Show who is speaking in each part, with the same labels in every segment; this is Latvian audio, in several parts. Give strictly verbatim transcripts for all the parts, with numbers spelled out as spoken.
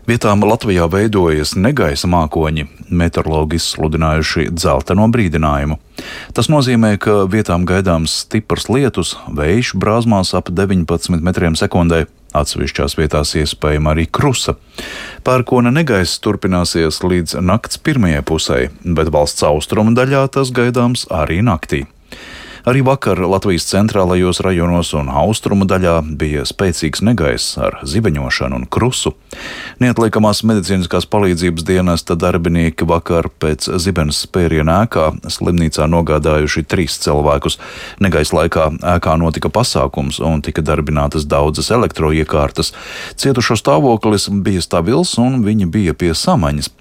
Speaker 1: Vietām Latvijā veidojas negaisa mākoņi, meteorologi izsludinājuši dzelteno brīdinājumu. Tas nozīmē, ka vietām gaidāms stiprs lietus, vējš brāzmās ap deviņpadsmit metriem sekundē, atsevišķās vietās iespējama arī krusa. Pērkona negaiss turpināsies līdz nakts pirmajai pusē, bet valsts austrumu daļā tas gaidāms arī naktī. Arī vakar Latvijas centrālajos rajonos un austrumu daļā bija spēcīgs negaiss ar zibeņošanu un krusu. Neatliekamās medicīniskās palīdzības dienesta darbinieki vakar pēc zibenes spēriena ēkā slimnīcā nogādājuši trīs cilvēkus. Negaisa laikā ēkā notika pasākums un tika darbinātas daudzas elektroiekārtas. Cietušo stāvoklis bija stabils un viņi bija pie samaņas.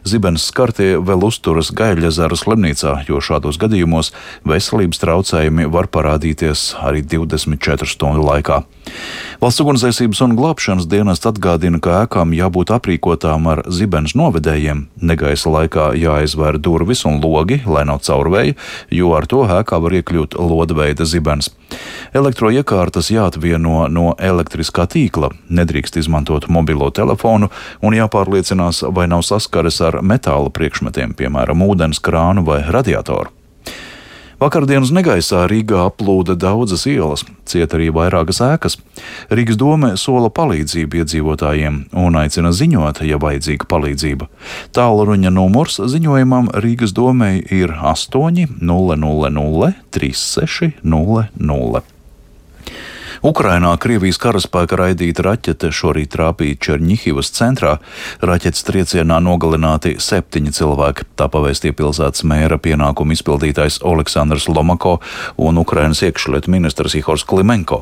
Speaker 1: Zibenes skartie vēl uzturas Gaiļezeru slimnīcā, jo šādos gadījumos veselības traucējumi var parādīties arī divdesmit četru stundu laikā. Valsts ugunsdzēsības un glābšanas dienests atgādina, ka ēkām jābūt aprīkotām ar zibenes novedējiem. Negaisa laikā jāizvēr durvis un logi, lai nav caurvēja, jo ar to ēkā var iekļūt lodveida zibenes. Elektroiekārtas jāatvieno no elektriskā tīkla, nedrīkst izmantot mobilo telefonu un jāpārliecinās, vai nav saskares ar metāla priekšmetiem, piemēram, ūdens krānu vai radiatoru. Vakardienas negaisā Rīgā aplūda daudzas ielas, ciet arī vairākas ēkas. Rīgas dome sola palīdzību iedzīvotājiem un aicina ziņot, ja vajadzīga palīdzība. Tālruņa numurs ziņojumam Rīgas domei ir astoņi nulle nulle nulle trīs seši nulle nulle. Ukrainā Krievijas karaspēka raidīta raķete šorīt trāpīja Čerņihivas centrā. Raķetes triecienā nogalināti septiņi cilvēki. Tā pavēstīja pilsētas mēra pienākumu izpildītājs Oleksandrs Lomako un Ukrainas iekšlietu ministrs Ihors Klimenko.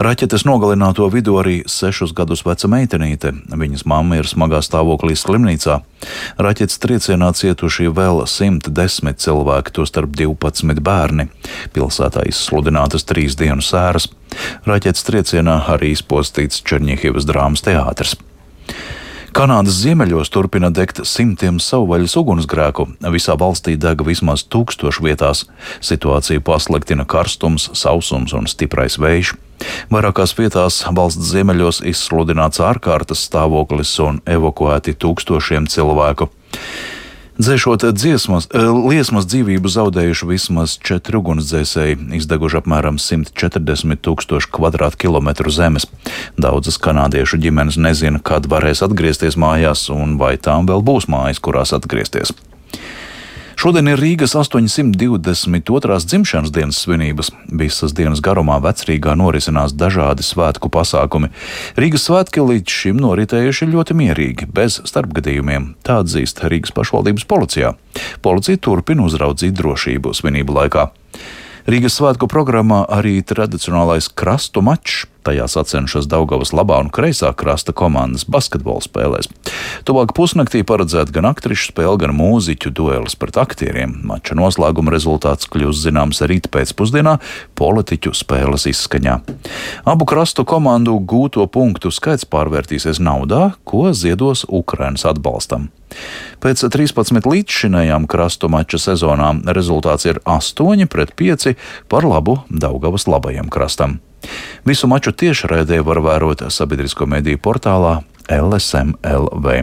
Speaker 1: Raķetes nogalināto vidū arī sešus gadus veca meitenīte. Viņas mamma ir smagā stāvoklī slimnīcā. Raķetes triecienā cietuši vēl simt desmit cilvēki, tostarp divpadsmit bērni. Pilsētā izsludinātas trīs dienu sēras. Raķetes triecienā arī izpostīts Čerņihivas drāmas teātris. Kanādas ziemeļos turpina degt simtiem savvaļas ugunsgrēku. Visā valstī deg vismaz tūkstošu vietās. Situāciju pasliktina karstums, sausums un stiprais vējš. Vairākās vietās valsts ziemeļos izsludināts ārkārtas stāvoklis un evakuēti tūkstošiem cilvēku. Dzēšot dziesmas, liesmas dzīvību zaudējuši vismaz četri ugunsdzēsēji, izdeguši apmēram simt četrdesmit tūkstoši kvadrātkilometru zemes. Daudzas kanādiešu ģimenes nezina, kad varēs atgriezties mājās un vai tām vēl būs mājas, kurās atgriezties. Šodien ir Rīgas astoņsimt divdesmit otrās dzimšanas dienas svinības. Visas dienas garumā Vecrīgā norisinās dažādi svētku pasākumi. Rīgas svētki līdz šim noritējuši ļoti mierīgi, bez starpgadījumiem. Tā atzīst Rīgas pašvaldības policijā. Policija turpina uzraudzīt drošību svinību laikā. Rīgas svētku programmā arī tradicionālais krastu mačs. Tajā sacenšas Daugavas labā un kreisā krasta komandas basketbola spēlēs. Tuvāk pusnaktī paredzēta gan aktrišu spēle, gan mūziķu duelis pret aktieriem. Mača noslēguma rezultāts kļūs zināms rīt pēcpusdienā politiķu spēles izskaņā. Abu krastu komandu gūto punktu skaits pārvērtīsies naudā, ko ziedos Ukrainas atbalstam. Pēc trīspadsmit līdzšinējām krastu mača sezonām rezultāts ir astoņi pret pieci par labu Daugavas labajam krastam. Visu maču tiešraidē var vērot sabiedrisko mediju portālā L S M L V.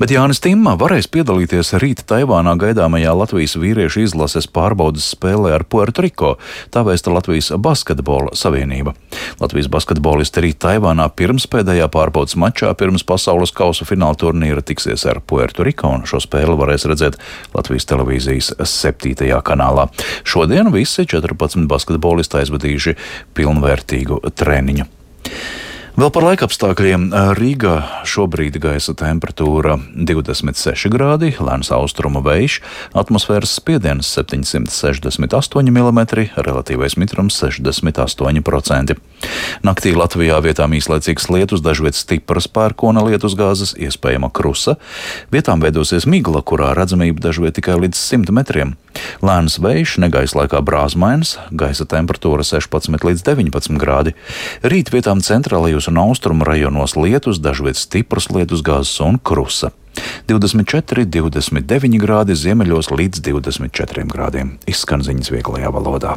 Speaker 1: Bet Jānis Timma varēs piedalīties rīt Taivānā gaidāmajā Latvijas vīriešu izlases pārbaudes spēlē ar Puertoriko, tā vēsta Latvijas basketbola savienība. Latvijas basketbolisti rīt Taivānā pirmspēdējā pārbaudes mačā pirms pasaules kausa fināla turnīra tiksies ar Puertoriko, un šo spēli varēs redzēt Latvijas televīzijas septītajā kanālā. Šodien visi četrpadsmit basketbolisti aizvadījuši pilnvērtīgu treniņu. Vēl par laikapstākļiem. Rīgā šobrīd gaisa temperatūra divdesmit seši grādi, lēns austrumu vējš, atmosfēras spiediens septiņsimt sešdesmit astoņi milimetri, relatīvais mitrums sešdesmit astoņi procenti. Naktī Latvijā vietām īslaicīgs lietus, dažviet stipras pērkona lietusgāzes, iespējama krusa. Vietām veidosies migla, kurā redzamība dažviet tikai līdz simt metriem. Lēns vējš, negaisa laikā brāzmains, gaisa temperatūra sešpadsmit līdz deviņpadsmit grādi. Rīt vietām centrālajos un austrumu rajonos lietus, dažviet stipras lietusgāzes un krusa. divdesmit četri, divdesmit deviņi grādi, ziemeļos līdz divdesmit četriem grādiem. Izskan ziņas vieglajā valodā.